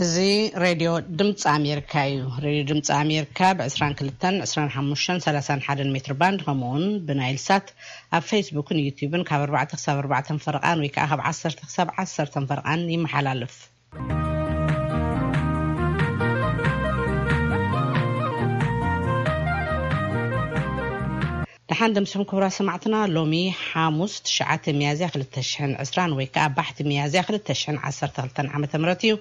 እዚ ሬድዮ ድምፂ ኣሜሪካ እዩ። ሬድዮ ድምፂ ኣሜሪካ ብ22፣ 25፣ 31 ሜትር ባንድ፣ ከምኡ እውን ብናይል ሳት፣ ኣብ ፌስቡክን ዩቲዩብን ካብ ኣርባዕተ ክሳብ ኣርባዕተ ፈረቓን ወይ ከዓ ካብ ዓሰርተ ክሳብ ዓሰርተ ፈረቓን ይመሓላለፍ። ደሓን ደምስኹም ክቡራት ሰማዕትና። ሎሚ ሓሙስ ትሽዓተ ሚያዝያ ክልተ ሽሕን ዕስራን ወይ ከዓ ባሕቲ ሚያዝያ ክልተ ሽሕን ዓሰርተ ክልተን ዓመተ ምህረት እዩ።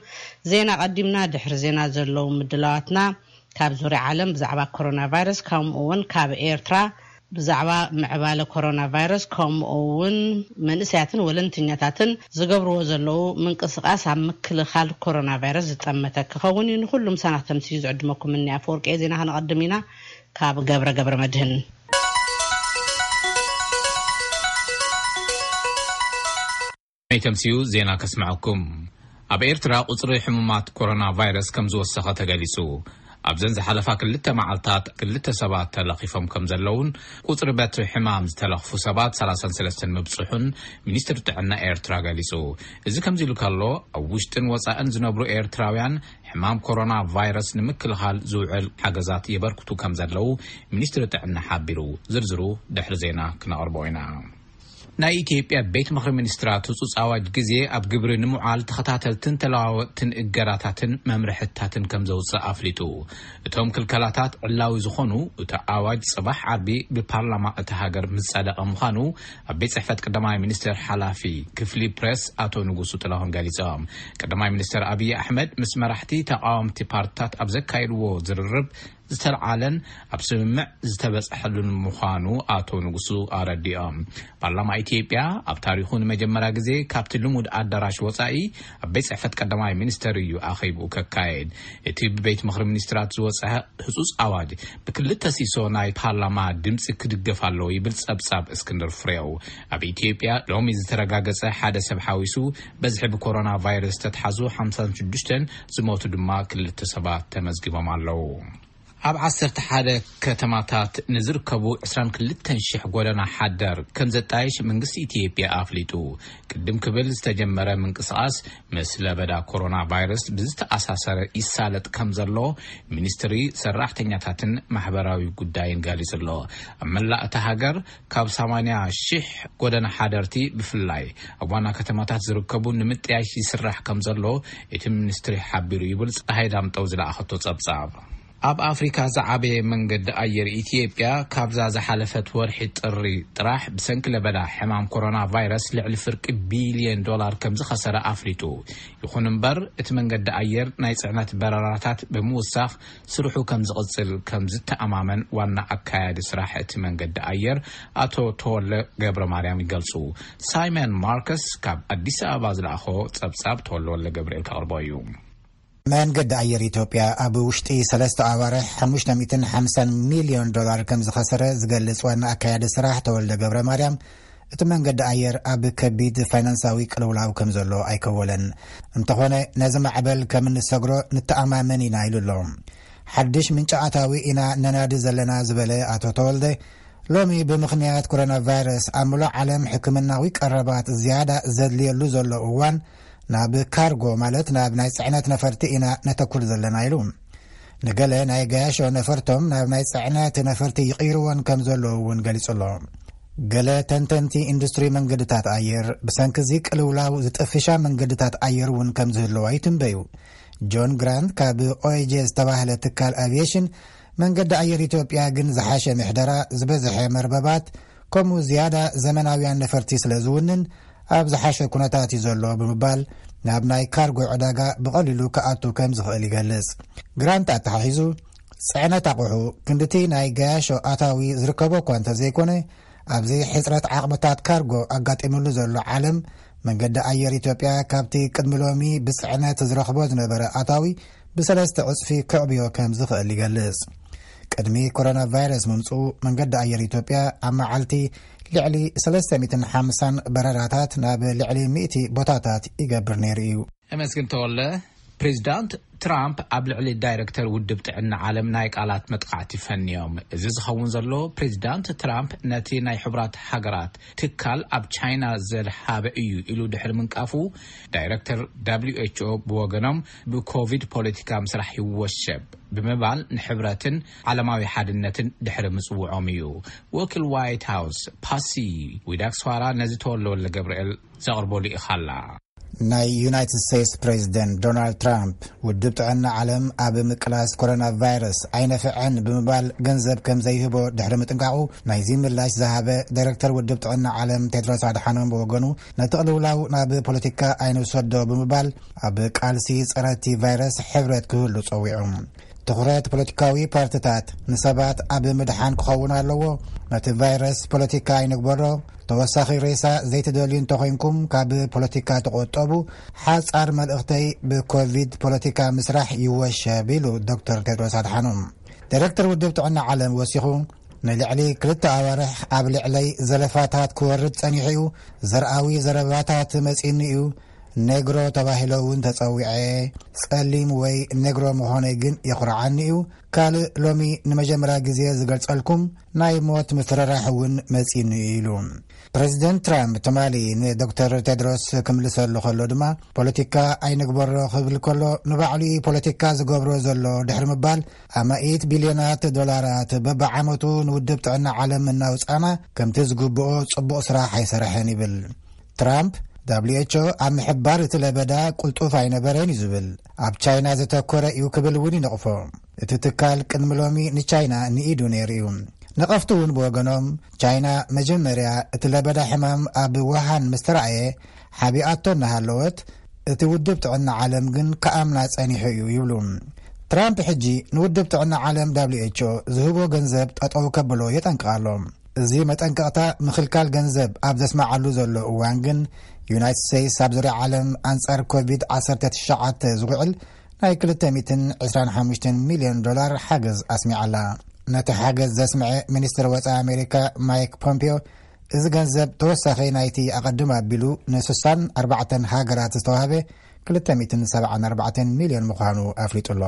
ዜና ቀዲምና፣ ድሕሪ ዜና ዘለዉ ምድላዋትና ካብ ዙርያ ዓለም ብዛዕባ ኮሮና ቫይረስ፣ ከምኡ እውን ካብ ኤርትራ ብዛዕባ ምዕባለ ኮሮና ቫይረስ፣ ከምኡ እውን መንእሰያትን ወለንተኛታትን ዝገብርዎ ዘለዉ ምንቅስቃስ ኣብ ምክልኻል ኮሮና ቫይረስ ዝጠመተ ክኸውን እዩ። ንኩሉ ምሳና ተምስዩ ዝዕድመኩም እኒ ኣፈወርቂ ዜና ከነቐድም ኢና። ካብ ገብረ ገብረ መድህን። ናይ ተምስዩ ዜና ከስምዐኩም። ኣብ ኤርትራ ቁጽሪ ሕሙማት ኮሮና ቫይረስ ከም ዝወሰኸ ተገሊጹ። ኣብዘን ዝሓለፋ ክልተ መዓልታት ክልተ ሰባት ተለኺፎም ከም ዘለውን ቁጽሪ በቲ ሕማም ዝተለኽፉ ሰባት ሰላሳን ሰለስተን ምብጽሑን ሚኒስትሪ ጥዕና ኤርትራ ገሊጹ። እዚ ከምዚ ኢሉ ከሎ፣ ኣብ ውሽጥን ወጻእን ዝነብሩ ኤርትራውያን ሕማም ኮሮና ቫይረስ ንምክልኻል ዝውዕል ሓገዛት የበርክቱ ከም ዘለዉ ሚኒስትሪ ጥዕና ሓቢሩ። ዝርዝሩ ድሕሪ ዜና ክነቕርቦ ኢና። ናይ ኢትዮጵያ ቤት ምኽሪ ሚኒስትራት ህጹጽ ኣዋጅ ግዜ ኣብ ግብሪ ንምውዓል ተኸታተልትን ተለዋወጥትን እገዳታትን መምርሕታትን ከም ዘውጽእ ኣፍሊጡ። እቶም ክልከላታት ዕላዊ ዝኾኑ፣ እቲ ኣዋጅ ጽባሕ ዓርቢ ብፓርላማ እታ ሃገር ምስ ጸደቐ ምዃኑ ኣብ ቤት ጽሕፈት ቀዳማይ ሚኒስትር ሓላፊ ክፍሊ ፕሬስ ኣቶ ንጉሱ ጥላሁን ገሊጾም። ቀዳማይ ሚኒስትር ኣብይ ኣሕመድ ምስ መራሕቲ ተቃወምቲ ፓርትታት ኣብ ዘካየድዎ ዝርርብ ዝተልዓለን ኣብ ስምምዕ ዝተበጽሐሉን ምዃኑ ኣቶ ንጉሱ ኣረዲኦም። ፓርላማ ኢትዮጵያ ኣብ ታሪኹ ንመጀመርያ ግዜ ካብቲ ልሙድ ኣዳራሽ ወጻኢ ኣብ ቤት ጽሕፈት ቀዳማይ ሚኒስተር እዩ ኣኼብኡ ከካየድ። እቲ ብቤት ምኽሪ ሚኒስትራት ዝወጸ ህጹጽ ኣዋጅ ብክልተ ሲሶ ናይ ፓርላማ ድምጺ ክድገፍ ኣለዎ ይብል ጸብጻብ እስክንድር ፍሬው። ኣብ ኢትዮጵያ ሎሚ ዝተረጋገጸ ሓደ ሰብ ሓዊሱ፣ በዝሒ ብኮሮና ቫይረስ ዝተትሓዙ ሓምሳን ሽዱሽተን፣ ዝሞቱ ድማ ክልተ ሰባት ተመዝጊቦም ኣለዉ። ኣብ ዓሰርተ ሓደ ከተማታት ንዝርከቡ ዕስራን ክልተን ሽሕ ጎደና ሓደር ከም ዘጣየሽ መንግስቲ ኢትዮጵያ ኣፍሊጡ። ቅድም ክብል ዝተጀመረ ምንቅስቓስ ምስ ለበዳ ኮሮና ቫይረስ ብዝተኣሳሰረ ይሳለጥ ከም ዘሎ ሚኒስትሪ ሰራሕተኛታትን ማሕበራዊ ጉዳይን ገሊጹ ኣሎ። ኣብ መላእ እታ ሃገር ካብ ሰማንያ ሽሕ ጎደና ሓደርቲ ብፍላይ ኣብ ዋና ከተማታት ዝርከቡ ንምጥያሽ ይስራሕ ከም ዘሎ እቲ ሚኒስትሪ ሓቢሩ ይብል ፀሃይ ዳምጠው ዝለኣኸቶ ጸብጻብ። ኣብ ኣፍሪካ ዝዓበየ መንገዲ ኣየር ኢትዮጵያ ካብዛ ዝሓለፈት ወርሒ ጥሪ ጥራሕ ብሰንኪ ለበዳ ሕማም ኮሮና ቫይረስ ልዕሊ ፍርቂ ቢልዮን ዶላር ከም ዝኸሰረ ኣፍሊጡ። ይኹን እምበር እቲ መንገዲ ኣየር ናይ ጽዕነት በረራታት ብምውሳኽ ስርሑ ከም ዝቕጽል ከም ዝተኣማመን ዋና ኣካያዲ ስራሕ እቲ መንገዲ ኣየር ኣቶ ተወለ ገብረ ማርያም ይገልጹ። ሳይመን ማርከስ ካብ ኣዲስ ኣበባ ዝለኣኾ ጸብጻብ ተወለ ወልደ ገብርኤል ከቕርቦ እዩ። መንገዲ ኣየር ኢትዮጵያ ኣብ ውሽጢ ሰለስተ ኣዋርሕ ሓሙሽተ ሚእትን ሓምሳን ሚልዮን ዶላር ከም ዝኸሰረ ዝገልጽ ዋና ኣካያዲ ስራሕ ተወልደ ገብረ ማርያም፣ እቲ መንገዲ ኣየር ኣብ ከቢድ ፋይናንሳዊ ቅልውላው ከም ዘሎ ኣይከወለን። እንተኾነ ነዚ ማዕበል ከም እንሰግሮ ንተኣማመን ኢና ኢሉ ኣሎ። ሓድሽ ምንጪ ኣታዊ ኢና ነናዲ ዘለና ዝበለ ኣቶ ተወልደ፣ ሎሚ ብምኽንያት ኮሮና ቫይረስ ኣብ ምሉእ ዓለም ሕክምናዊ ቀረባት ዝያዳ ዘድልየሉ ዘሎ እዋን ናብ ካርጎ ማለት ናብ ናይ ጽዕነት ነፈርቲ ኢና ነተኩር ዘለና ኢሉ። ንገለ ናይ ገያሾ ነፈርቶም ናብ ናይ ጽዕነት ነፈርቲ ይቕይርዎን ከም ዘለዉ እውን ገሊጹ ኣሎ። ገለ ተንተንቲ ኢንዱስትሪ መንገድታት ኣየር ብሰንኪ እዚ ቅልውላው ዝጥፍሻ መንገድታት ኣየር እውን ከም ዝህልዋ ይትንበዩ። ጆን ግራንት ካብ ኦኤጄ ዝተባህለ ትካል ኣቪዬሽን፣ መንገዲ ኣየር ኢትዮጵያ ግን ዝሓሸ ምሕደራ፣ ዝበዝሐ መርበባት፣ ከምኡ ዝያዳ ዘመናውያን ነፈርቲ ስለ ዝውንን ኣብ ዝሓሸ ኩነታት እዩ ዘሎ ብምባል ናብ ናይ ካርጎ ዕዳጋ ብቐሊሉ ክኣቱ ከም ዝኽእል ይገልጽ። ግራንት ኣተሓሒዙ፣ ጽዕነት ኣቑሑ ክንድቲ ናይ ገያሾ ኣታዊ ዝርከቦ እኳ እንተዘይኮነ፣ ኣብዚ ሕጽረት ዓቕምታት ካርጎ ኣጋጢሙሉ ዘሎ ዓለም፣ መንገዲ ኣየር ኢትዮጵያ ካብቲ ቅድሚ ሎሚ ብጽዕነት ዝረኽቦ ዝነበረ ኣታዊ ብሰለስተ ዕጽፊ ከዕብዮ ከም ዝኽእል ይገልጽ። ቅድሚ ኮሮና ቫይረስ ምምጽኡ መንገዲ ኣየር ኢትዮጵያ ኣብ መዓልቲ ልዕሊ ሰለስተ ሚእትን ሓምሳን በረራታት ናብ ልዕሊ ሚእቲ ቦታታት ይገብር ነይሩ እዩ። እመስግን ተወለ። ፕሬዚዳንት ትራምፕ ኣብ ልዕሊ ዳይረክተር ውድብ ጥዕና ዓለም ናይ ቃላት መጥቃዕቲ ፈንዮም። እዚ ዝኸውን ዘሎ፣ ፕሬዚዳንት ትራምፕ ነቲ ናይ ሕቡራት ሃገራት ትካል ኣብ ቻይና ዘድሃበ እዩ ኢሉ ድሕሪ ምንቃፉ፣ ዳይረክተር ደብሊው ኤች ኦ ብወገኖም፣ ብኮቪድ ፖለቲካ ምስራሕ ይወሸብ ብምባል፣ ንሕብረትን ዓለማዊ ሓድነትን ድሕሪ ምጽውዖም እዩ። ወኪል ዋይት ሃውስ ፓሲ ዊዳክስዋራ ነዚ ተወልደወልደ ገብርኤል ዘቕርቦ ልኢኻ ኣላ። ናይ ዩናይትድ ስቴትስ ፕሬዚደንት ዶናልድ ትራምፕ፣ ውድብ ጥዕና ዓለም ኣብ ምቅላስ ኮሮና ቫይረስ ኣይነፍዐን ብምባል ገንዘብ ከም ዘይህቦ ድሕሪ ምጥንቃቑ፣ ናይዚ ምላሽ ዝሃበ ዳይረክተር ውድብ ጥዕና ዓለም ቴድሮስ ኣድሓኖም ብወገኑ፣ ነቲ ቅልውላው ናብ ፖለቲካ ኣይንውሰዶ ብምባል፣ ኣብ ቃልሲ ጸረ እቲ ቫይረስ ሕብረት ክህሉ ጸዊዑ። ትኹረት ፖለቲካዊ ፓርቲታት ንሰባት ኣብ ምድሓን ክኸውን ኣለዎ። ነቲ ቫይረስ ፖለቲካ ኣይንግበሮ። ተወሳኺ ሬሳ ዘይትደልዩ እንተኾይንኩም፣ ካብ ፖለቲካ ተቆጠቡ። ሓጻር መልእኽተይ ብኮቪድ ፖለቲካ ምስራሕ ይወሸብ ኢሉ ዶክተር ቴድሮስ ኣድሓኖም። ዳይረክተር ውድብ ጥዕና ዓለም ወሲኹ፣ ንልዕሊ ክልተ ኣዋርሕ ኣብ ልዕለይ ዘለፋታት ክወርድ ጸኒሑ እዩ። ዘርኣዊ ዘረባታት መጺኒ እዩ። ኔግሮ ተባሂለ እውን ተጸዊዐ። ጸሊም ወይ ኔግሮ ምዃነይ ግን የኹርዓኒ እዩ። ካልእ ሎሚ ንመጀመርያ ግዜ ዝገልጸልኩም ናይ ሞት ምፍርራሕ እውን መጺኒ እዩ ኢሉ። ፕሬዚደንት ትራምፕ ትማሊ ንዶክተር ቴድሮስ ክምልሰሉ ከሎ ድማ፣ ፖለቲካ ኣይንግበሮ ክብል ከሎ፣ ንባዕሉ እዩ ፖለቲካ ዝገብሮ ዘሎ ድሕሪ ምባል፣ ኣማኢት ቢልዮናት ዶላራት በብዓመቱ ንውድብ ጥዕና ዓለም እናውጻና፣ ከምቲ ዝግብኦ ጽቡቕ ስራሕ ኣይሰርሐን ይብል። ትራምፕ፣ ደብሊው ኤች ኦ ኣብ ምሕባር እቲ ለበዳ ቅልጡፍ ኣይነበረን እዩ ዝብል። ኣብ ቻይና ዘተኮረ እዩ ክብል እውን ይነቕፎ። እቲ ትካል ቅድሚ ሎሚ ንቻይና ንኢዱ ነይሩ እዩ። ነቐፍቲ እውን ብወገኖም፣ ቻይና መጀመርያ እቲ ለበዳ ሕማም ኣብ ውሃን ምስ ተራእየ ሓቢኣቶ እናሃለወት፣ እቲ ውድብ ጥዕና ዓለም ግን ክኣምና ጸኒሑ እዩ ይብሉ። ትራምፕ ሕጂ ንውድብ ጥዕና ዓለም ደብሊው ኤች ኦ ዝህቦ ገንዘብ ጠጠው ከብሎ የጠንቅቕ ኣሎ። እዚ መጠንቀቕታ ምኽልካል ገንዘብ ኣብ ዘስምዓሉ ዘሎ እዋን ግን፣ ዩናይትድ ስቴትስ ኣብ ዙርያ ዓለም ኣንጻር ኮቪድ ዓሰርተ ትሽዓተ ዝውዕል ናይ ክልተ ሚእትን ዕስራን ሓሙሽተን ሚልዮን ዶላር ሓገዝ ኣስሚዓላ። ነቲ ሓገዝ ዘስምዐ ሚኒስትር ወጻኢ ኣሜሪካ ማይክ ፖምፒዮ፣ እዚ ገንዘብ ተወሳኺ ናይቲ ኣቐድም ኣቢሉ ንስሳን ኣርባዕተን ሃገራት ዝተዋህበ ክልተ ሚእትን ሰብዓን ኣርባዕተን ሚልዮን ምዃኑ ኣፍሊጡ ኣሎ።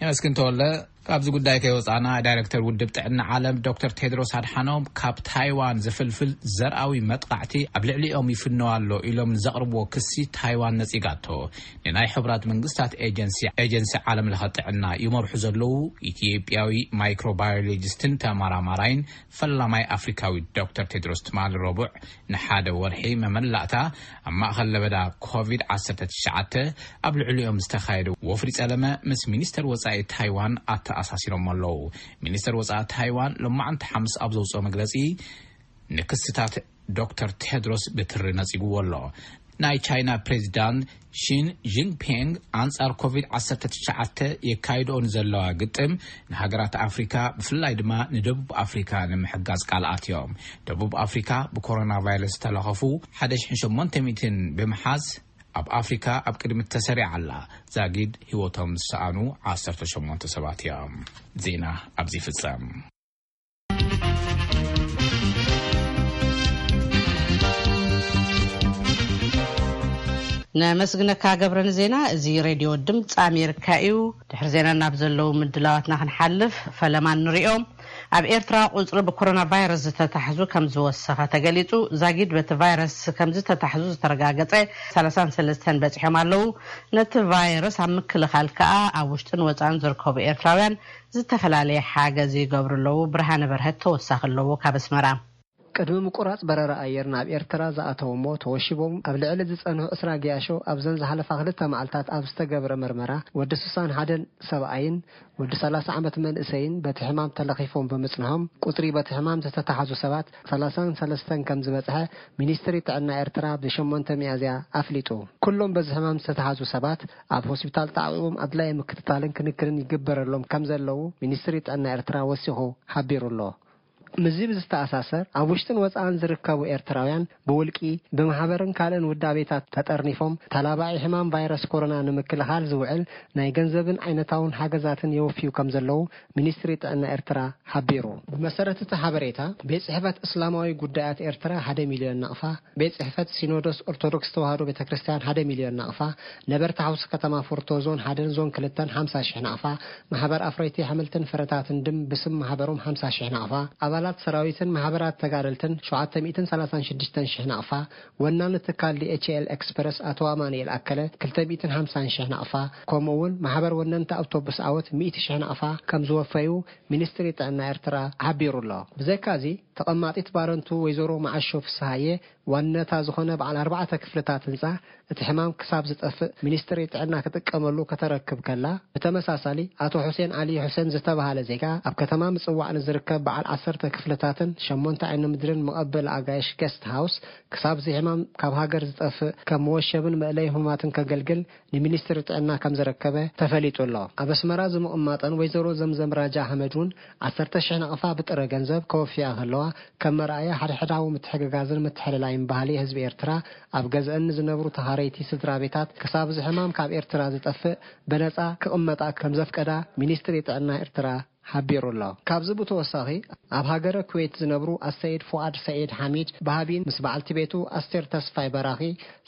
የመስግን ተወልደ። ካብዚ ጉዳይ ከይወጻና፣ ዳይረክተር ውድብ ጥዕና ዓለም ዶክተር ቴድሮስ ኣድሓኖም፣ ካብ ታይዋን ዝፍልፍል ዘርኣዊ መጥቃዕቲ ኣብ ልዕሊኦም ይፍነው ኣሎ ኢሎም ንዘቕርብዎ ክሲ፣ ታይዋን ነጺጋቶ። ንናይ ሕቡራት መንግስታት ኤጀንሲ፣ ኤጀንሲ ዓለም ለኸ ጥዕና ይመርሑ ዘለዉ ኢትዮጵያዊ ማይክሮባዮሎጂስትን ተመራማራይን ፈላማይ ኣፍሪካዊ ዶክተር ቴድሮስ ትማሊ ረቡዕ ንሓደ ወርሒ መመላእታ ኣብ ማእኸል ለበዳ ኮቪድ ዓሰርተ ትሽዓተ ኣብ ልዕሊኦም ዝተኻየደ ወፍሪ ጸለመ ምስ ሚኒስተር ወጻኢ ታይዋን ኣተኣሳሲሮም ኣለዉ። ሚኒስተር ወጻኢ ታይዋን ሎማዕንቲ ሓሙስ ኣብ ዘውፅኦ መግለጺ፣ ንክስታት ዶክተር ቴድሮስ ብትሪ ነጺግዎ ኣሎ። ናይ ቻይና ፕሬዚዳንት ሺን ጂንፒንግ ኣንጻር ኮቪድ ዓሰርተ ትሽዓተ የካይድኦ ንዘለዋ ግጥም፣ ንሃገራት ኣፍሪካ፣ ብፍላይ ድማ ንደቡብ ኣፍሪካ ንምሕጋዝ ቃል ኣትዮም። ደቡብ ኣፍሪካ ብኮሮና ቫይረስ ዝተለኸፉ ሓደ ሽሕን ሸሞንተ ሚእትን ብምሓዝ፣ ኣብ ኣፍሪካ ኣብ ቅድሚት ተሰሪዓ ኣላ። ዛጊድ ህይወቶም ዝሰኣኑ ዓሰርተ ሸሞንተ ሰባት እዮም። ዜና ኣብዚ ይፍጸም። ነመስግነካ ገብረ ንዜና። እዚ ሬድዮ ድምፂ ኣሜሪካ እዩ። ድሕሪ ዜና ናብ ዘለዉ ምድላዋትና ክንሓልፍ፣ ፈለማ ንሪኦም። ኣብ ኤርትራ ቁፅሪ ብኮሮና ቫይረስ ዝተታሕዙ ከም ዝወሰኸ ተገሊፁ። ዛጊድ በቲ ቫይረስ ከም ዝተታሕዙ ዝተረጋገፀ ሰላሳን ሰለስተን በፂሖም ኣለዉ። ነቲ ቫይረስ ኣብ ምክልኻል ከኣ ኣብ ውሽጥን ወፃእን ዝርከቡ ኤርትራውያን ዝተፈላለየ ሓገዝ ይገብሩ ኣለዉ። ብርሃነ በርሀት ተወሳኺ ኣለዎ ካብ ኣስመራ። ቅድሚ ምቁራጽ በረራ ኣየር ናብ ኤርትራ ዝኣተዉ እሞ ተወሺቦም ኣብ ልዕሊ ዝጸንሑ ዕስራ ገያሾ ኣብዘን ዝሓለፋ ክልተ መዓልታት ኣብ ዝተገብረ መርመራ፣ ወዲ ስሳን ሓደን ሰብኣይን ወዲ ሰላሳ ዓመት መንእሰይን በቲ ሕማም ተለኺፎም ብምጽንሖም፣ ቁጽሪ በቲ ሕማም ዝተታሕዙ ሰባት ሰላሳን ሰለስተን ከም ዝበጽሐ ሚኒስትሪ ጥዕና ኤርትራ ብሸሞንተ ሚያዝያ ኣፍሊጡ። ኩሎም በዚ ሕማም ዝተታሕዙ ሰባት ኣብ ሆስፒታል ተዓቂቦም ኣድላዪ ምክትታልን ክንክንን ይግበረሎም ከም ዘለዉ ሚኒስትሪ ጥዕና ኤርትራ ወሲኹ ሓቢሩ ኣሎ። ምስዚ ብዝተኣሳሰር፣ ኣብ ውሽጥን ወጻእን ዝርከቡ ኤርትራውያን ብውልቂ፣ ብማሕበርን ካልእን ውዳቤታት ተጠርኒፎም፣ ተላባዒ ሕማም ቫይረስ ኮሮና ንምክልኻል ዝውዕል ናይ ገንዘብን ዓይነታውን ሓገዛትን የወፍዩ ከም ዘለዉ ሚኒስትሪ ጥዕና ኤርትራ ሓቢሩ። ብመሰረት እቲ ሓበሬታ፣ ቤት ጽሕፈት እስላማዊ ጉዳያት ኤርትራ ሓደ ሚልዮን ናቕፋ፣ ቤት ጽሕፈት ሲኖዶስ ኦርቶዶክስ ተዋህዶ ቤተ ክርስቲያን ሓደ ሚልዮን ናቕፋ፣ ነበርቲ ሓውሲ ከተማ ፎርቶ ዞን ሓደን ዞን ክልተን ሓምሳ ሽሕ ናቕፋ፣ ማሕበር ኣፍረይቲ ኣሕምልትን ፍረታትን ድም ብስም ማሕበሮም ሓምሳ ሽሕ ናቕፋ፣ ኣባላት ሰራዊትን ማሕበራት ተጋደልትን ሸውዓተ ሚእትን ሰላሳን ሽዱሽተን ሽሕ ናቕፋ፣ ወናኒ ትካል ዲ ኤች ኤል ኤክስፕረስ ኣቶ ኣማኑኤል ኣከለ ክልተ ሚእትን ሓምሳን ሽሕ ናቕፋ፣ ከምኡ እውን ማሕበር ወነንቲ ኣውቶቡስ ኣወት ሚእቲ ሽሕ ናቕፋ ከም ዝወፈዩ ሚኒስትሪ ጥዕና ኤርትራ ሓቢሩ ኣሎ። ብዘይካዚ፣ ተቐማጢት ባረንቱ ወይዘሮ መዓሾ ፍስሃየ ዋንነታ ዝኾነ በዓል ኣርባዕተ ክፍልታት ህንጻ እቲ ሕማም ክሳብ ዝጠፍእ ሚኒስትሪ ጥዕና ክጥቀመሉ ከተረክብ ከላ፣ ብተመሳሳሊ ኣቶ ሑሴን ዓሊ ሑሴን ዝተባሃለ ዜጋ ኣብ ከተማ ምጽዋዕ ንዝርከብ በዓል ዓሰርተ ክፍልታትን ሸሞንተ ዓይኒ ምድርን መቐበሊ ኣጋይሽ ጌስት ሃውስ ክሳብ እዚ ሕማም ካብ ሃገር ዝጠፍእ ከም መወሸብን መእለይ ህሙማትን ከገልግል ንሚኒስትሪ ጥዕና ከም ዘረከበ ተፈሊጡ ኣሎ። ኣብ ኣስመራ ዝምቕማጠን ወይዘሮ ዘምዘም ራጃ ኣሕመድ እውን ዓሰርተ ሽሕ ናቕፋ ብጥረ ገንዘብ ከወፍያ ከለዋ፣ ከም መርኣያ ሓድሕዳዊ ምትሕግጋዝን ምትሕልላይን ባህሊ ህዝቢ ኤርትራ፣ ኣብ ገዝአን ንዝነብሩ ተኻረይቲ ስድራ ቤታት ክሳብ እዚ ሕማም ካብ ኤርትራ ዝጠፍእ ብነጻ ክቕመጣ ከም ዘፍቀዳ ሚኒስትሪ ጥዕና ኤርትራ ሓቢሩ ኣሎ። ካብዚ ብተወሳኺ፣ ኣብ ሃገረ ኩዌት ዝነብሩ ኣሰይድ ፉኣድ ሰዒድ ሓሚድ ባሃቢን ምስ በዓልቲ ቤቱ ኣስቴር ተስፋይ በራኺ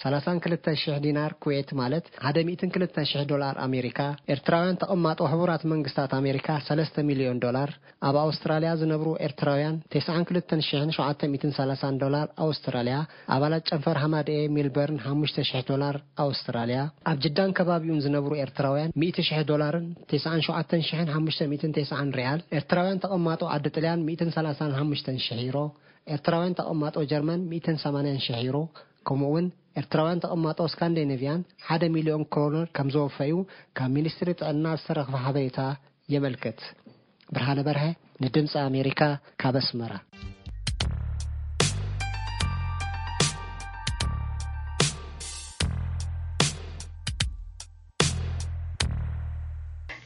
ሰላሳን ክልተን ሽሕ ዲናር ኩዌት፣ ማለት ሓደ ሚእትን ክልተን ሽሕ ዶላር ኣሜሪካ፣ ኤርትራውያን ተቐማጦ ሕቡራት መንግስታት ኣሜሪካ ሰለስተ ሚልዮን ዶላር፣ ኣብ ኣውስትራልያ ዝነብሩ ኤርትራውያን ተስዓን ክልተን ሽሕን ሸውዓተ ሚእትን ሰላሳን ዶላር ኣውስትራልያ፣ ኣባላት ጨንፈር ሃማደኤ ሜልበርን ሓሙሽተ ሽሕ ዶላር ኣውስትራልያ፣ ኣብ ጅዳን ከባቢኡን ዝነብሩ ኤርትራውያን ሚእቲ ሽሕ ዶላርን ተስዓን ሸውዓተን ሽሕን ሓሙሽተ ሚእትን ተስዓን ሪያል፣ ኤርትራውያን ተቐማጦ ዓዲ ጥልያን ሚእትን ሰላሳን ሓሙሽተን ሽሕ ዩሮ፣ ኤርትራውያን ተቐማጦ ጀርመን ሚእትን ሰማንያን ሽሕ ዩሮ፣ ከምኡ እውን ኤርትራውያን ተቐማጦ ስካንዲኔቭያን ሓደ ሚልዮን ክሮነር ከም ዘወፈዩ ካብ ሚኒስትሪ ጥዕና ዝተረኽበ ሓበሬታ የመልክት። ብርሃነ በርሀ ንድምፂ ኣሜሪካ ካብ ኣስመራ።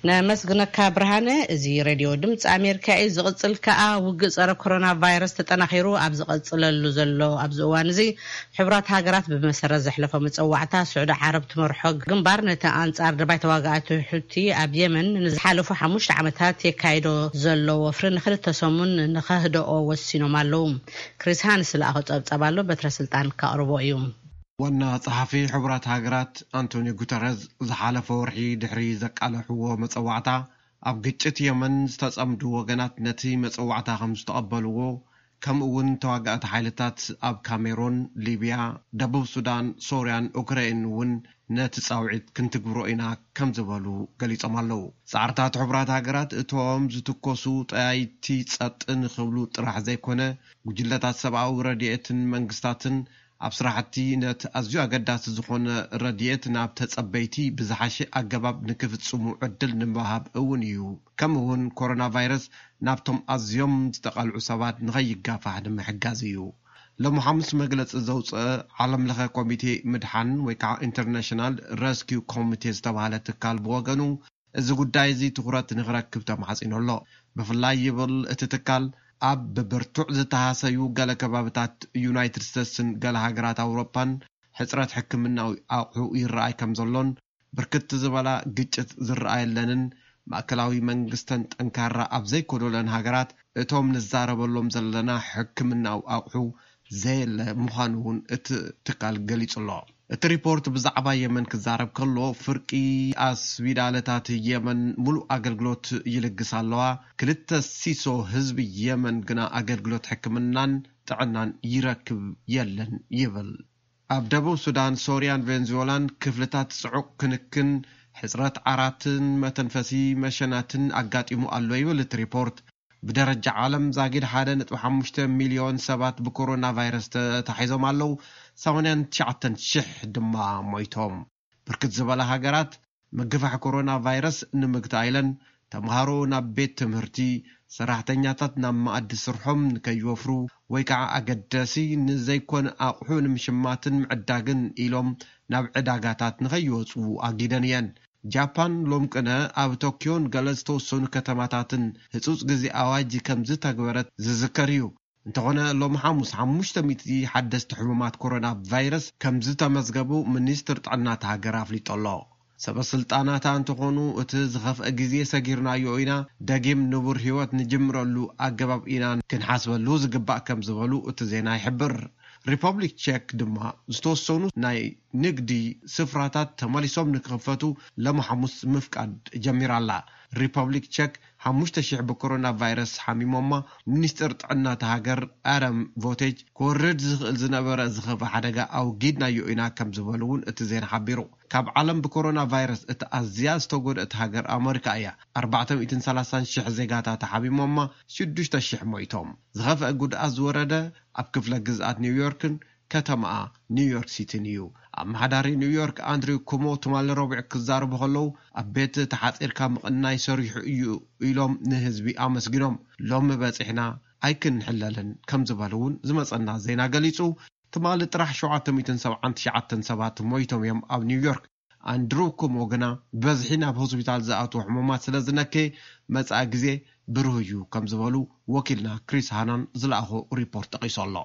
ነመስግነካ ብርሃነ። እዚ ሬድዮ ድምፂ ኣሜሪካ እዩ። ዝቕፅል ከኣ ውግእ ጸረ ኮሮና ቫይረስ ተጠናኺሩ ኣብ ዝቐፅለሉ ዘሎ ኣብዚ እዋን እዚ፣ ሕቡራት ሃገራት ብመሰረት ዘሕለፎ መፀዋዕታ፣ ስዑዲ ዓረብ ትመርሖ ግንባር ነቲ ኣንጻር ደባይ ተዋጋእቲ ሑቲ ኣብ የመን ንዝሓለፉ ሓሙሽተ ዓመታት የካይዶ ዘሎ ወፍሪ ንኽልተ ሰሙን ንኸህደኦ ወሲኖም ኣለዉ። ክሪስ ሃንስ ዝለኣኾ ጸብጻብ ኣሎ፣ በትረ ስልጣን ከቕርቦ እዩ። ዋና ጸሓፊ ሕቡራት ሃገራት ኣንቶኒዮ ጉተረዝ ዝሓለፈ ወርሒ ድሕሪ ዘቃለሕዎ መጸዋዕታ፣ ኣብ ግጭት የመን ዝተጸምዱ ወገናት ነቲ መጸዋዕታ ከም ዝተቐበልዎ፣ ከምኡ እውን ተዋጋእቲ ሓይልታት ኣብ ካሜሮን፣ ሊብያ፣ ደቡብ ሱዳን፣ ሶርያን ኡክራይን እውን ነቲ ጻውዒት ክንትግብሮ ኢና ከም ዝበሉ ገሊጾም ኣለዉ። ጻዕርታት ሕቡራት ሃገራት እቶም ዝትኮሱ ጠያይቲ ጸጥ ንኽብሉ ጥራሕ ዘይኮነ፣ ጉጅለታት ሰብኣዊ ረድኤትን መንግስታትን ኣብ ስራሕቲ ነቲ ኣዝዩ ኣገዳሲ ዝኾነ ረድኤት ናብ ተጸበይቲ ብዝሓሸ ኣገባብ ንክፍጽሙ ዕድል ንምሃብ እውን እዩ። ከምኡ እውን ኮሮና ቫይረስ ናብቶም ኣዝዮም ዝተቓልዑ ሰባት ንኸይጋፋሕ ንምሕጋዝ እዩ። ሎሚ ሓሙስ መግለጺ ዘውፅአ ዓለም ለኸ ኮሚቴ ምድሓን ወይ ከዓ ኢንተርናሽናል ረስኪው ኮሚቴ ዝተባሃለ ትካል ብወገኑ፣ እዚ ጉዳይ እዚ ትኹረት ንኽረክብ ተማሕጺኑ ኣሎ። ብፍላይ ይብል እቲ ትካል፣ ኣብ ብብርቱዕ ዝተሃሰዩ ገለ ከባብታት ዩናይትድ ስቴትስን ገለ ሃገራት ኣውሮፓን ሕጽረት ሕክምናዊ ኣቑሑ ይረኣይ ከም ዘሎን፣ ብርክት ዝበላ ግጭት ዝረኣየለንን ማእከላዊ መንግስተን ጠንካራ ኣብ ዘይኮነለን ሃገራት፣ እቶም ንዛረበሎም ዘለና ሕክምናዊ ኣቑሑ ዘየለ ምዃኑ እውን እቲ ትካል ገሊጹ ኣሎ። እቲ ሪፖርት ብዛዕባ የመን ክዛረብ ከሎ፣ ፍርቂ ኣስቢዳለታት የመን ሙሉእ ኣገልግሎት ይልግስ ኣለዋ፣ ክልተ ሲሶ ህዝቢ የመን ግና ኣገልግሎት ሕክምናን ጥዕናን ይረክብ የለን ይብል። ኣብ ደቡብ ሱዳን፣ ሶርያን ቬንዙዌላን ክፍልታት ጽዑቕ ክንክን፣ ሕጽረት ዓራትን መተንፈሲ መሸናትን ኣጋጢሙ ኣሎ ይብል እቲ ሪፖርት። ብደረጃ ዓለም ዛጊድ ሓደ ነጥቢ ሓሙሽተ ሚልዮን ሰባት ብኮሮና ቫይረስ ተታሒዞም ኣለዉ፣ ሰማንያን ትሽዓተን ሽሕ ድማ ሞይቶም። ብርክት ዝበላ ሃገራት ምግፋሕ ኮሮና ቫይረስ ንምግታእ ኢለን፣ ተምሃሮ ናብ ቤት ትምህርቲ፣ ሰራሕተኛታት ናብ መኣዲ ስርሖም ንከይወፍሩ ወይ ከዓ ኣገዳሲ ንዘይኮነ ኣቑሑ ንምሽማትን ምዕዳግን ኢሎም ናብ ዕዳጋታት ንኸይወፁ ኣጊደን እየን። ጃፓን ሎም ቅነ ኣብ ቶኪዮን ገለ ዝተወሰኑ ከተማታትን ህጹጽ ግዜ ኣዋጅ ከም ዝተግበረት ዝዝከር እዩ። እንተኾነ ሎም ሓሙስ ሓሙሽተ ሚእቲ ሓደስቲ ሕሙማት ኮሮና ቫይረስ ከም ዝተመዝገቡ ሚኒስትር ጥዕና እታ ሃገር ኣፍሊጡ ኣሎ። ሰበ ስልጣናታ እንተኾኑ እቲ ዝኸፍአ ግዜ ሰጊርናዮ ኢና፣ ደጊም ንቡር ህይወት ንጅምረሉ ኣገባብ ኢና ክንሓስበሉ ዝግባእ ከም ዝበሉ እቲ ዜና ይሕብር። ሪፐብሊክ ቼክ ድማ ዝተወሰኑ ናይ ንግዲ ስፍራታት ተመሊሶም ንክኽፈቱ ሎም ሓሙስ ምፍቃድ ጀሚራ ኣላ። ሪፐብሊክ ቸክ ሓሙሽተ ሽሕ ብኮሮና ቫይረስ ሓሚሞማ። ሚኒስትር ጥዕና እታ ሃገር ኣረም ቮቴጅ ክወርድ ዝኽእል ዝነበረ ዝኸፍእ ሓደጋ ኣውጊድናዮ ኢና ከም ዝበሉ እውን እቲ ዜና ሓቢሩ። ካብ ዓለም ብኮሮና ቫይረስ እቲ ኣዝያ ዝተጎድአት ሃገር ኣመሪካ እያ። ኣርባዕተ ሚእትን ሰላሳን ሽሕ ዜጋታት ሓሚሞማ፣ ሽዱሽተ ሽሕ ሞይቶም። ዝኸፍአ ጉድኣት ዝወረደ ኣብ ክፍለ ግዝኣት ኒውዮርክን ከተማኣ ኒውዮርክ ሲቲን እዩ። ኣመሓዳሪ ኒውዮርክ ኣንድሪው ኩሞ ትማሊ ረቡዕ ክዛረቡ ከለዉ፣ ኣብ ቤት ተሓጺርካ ምቕናይ ሰሪሑ እዩ ኢሎም ንህዝቢ ኣመስጊኖም። ሎሚ በጺሕና ኣይክንሕለልን ከም ዝበሉ እውን ዝመጸና ዜና ገሊጹ። ትማሊ ጥራሕ ሸውዓተ ሚእትን ሰብዓን ትሽዓተን ሰባት ሞይቶም እዮም ኣብ ኒውዮርክ። ኣንድሪው ኩሞ ግና፣ በዝሒ ናብ ሆስፒታል ዝኣትዉ ሕሙማት ስለ ዝነከየ፣ መጻኢ ግዜ ብሩህ እዩ ከም ዝበሉ ወኪልና ክሪስ ሃናን ዝለኣኾ ሪፖርት ጠቒሱ ኣሎ።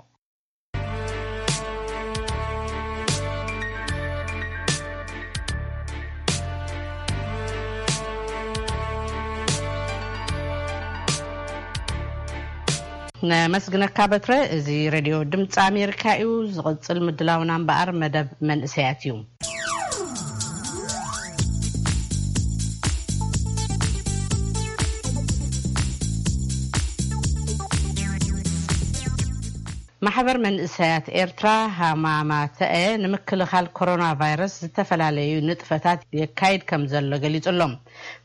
ነመስግነካ በትረ። እዚ ሬድዮ ድምፂ ኣሜሪካ እዩ። ዝቕፅል ምድላውና እምበኣር መደብ መንእሰያት እዩ። ማሕበር መንእሰያት ኤርትራ ሃማማተአ ንምክልኻል ኮሮና ቫይረስ ዝተፈላለዩ ንጥፈታት የካይድ ከም ዘሎ ገሊጹ ኣሎ።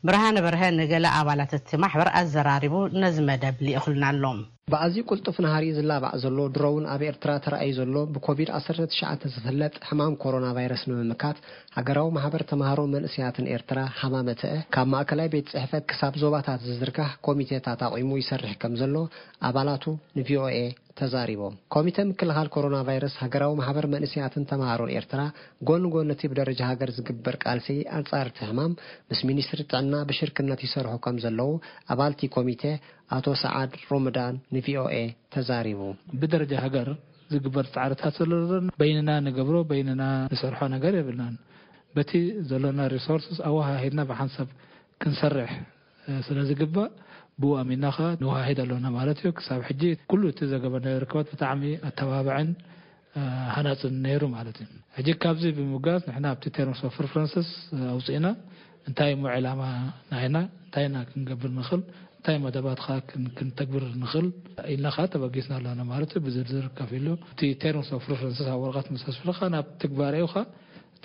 ብርሃነ በርሀ ንገለ ኣባላት እቲ ማሕበር ኣዘራሪቡ ነዚ መደብ ልኢኹልና ኣሎ። ብኣዝዩ ቅልጡፍ ናህሪ ዝላባዕ ዘሎ ድሮውን ኣብ ኤርትራ ተራእዩ ዘሎ ብኮቪድ ዓሰርተ ትሽዓተ ዝፍለጥ ሕማም ኮሮና ቫይረስ ንምምካት፣ ሃገራዊ ማሕበር ተማሃሮ መንእሰያትን ኤርትራ ሃማመተአ ካብ ማእከላይ ቤት ጽሕፈት ክሳብ ዞባታት ዝዝርጋሕ ኮሚቴታት ኣቑሙ ይሰርሕ ከም ዘሎ ኣባላቱ ንቪኦኤ ተዛሪቦም። ኮሚተ ምክልኻል ኮሮና ቫይረስ ሃገራዊ ማሕበር መንእሰያትን ተማሃሮን ኤርትራ ጎኒ ጎኒ እቲ ብደረጃ ሃገር ዝግበር ቃልሲ ኣንጻር እቲ ሕማም ምስ ሚኒስትሪ ጥዕና ብሽርክነት ይሰርሑ ከም ዘለዉ ኣባልቲ ኮሚቴ ኣቶ ሰዓድ ሮመዳን ንቪኦኤ ተዛሪቡ። ብደረጃ ሃገር ዝግበር ጻዕርታት ዘሎ በይንና ንገብሮ፣ በይንና ንሰርሖ ነገር የብልናን። በቲ ዘሎና ሪሶርስስ ኣወሃሂድና ብሓንሳብ ክንሰርሕ፣ እ፣ ስለ ዝግባእ ብኡ ኣሚንና ኸኣ ንወሃሂድ ኣሎና ማለት እዩ። ክሳብ ሕጂ ኩሉ እቲ ዘገበርናዮ ርክባት ብጣዕሚ ኣተባባዕን፣ እ፣ ሃናጽን ነይሩ ማለት እዩ። ሕጂ ካብዚ ብምብጋስ ንሕና ኣብቲ ተርምስ ኦፍ ሪፈረንስስ፣ እ፣ ኣውጺእና እንታይ እሞ ዕላማ ናይና፣ እንታይ ኢና ክንገብር ንኽእል፣ እንታይ መደባት ኸኣ ክን-፣ ክንተግብር ንኽእል ኢልና ኸኣ ተበጊስና ኣሎና ማለት እዩ። ብዝርዝር ከፊሉ እቲ ተርምስ ኦፍ ሪፈረንስስ ኣብ ወረቐት ምስ ኣስፈርኻ ናብ ትግባሬኡ ኸኣ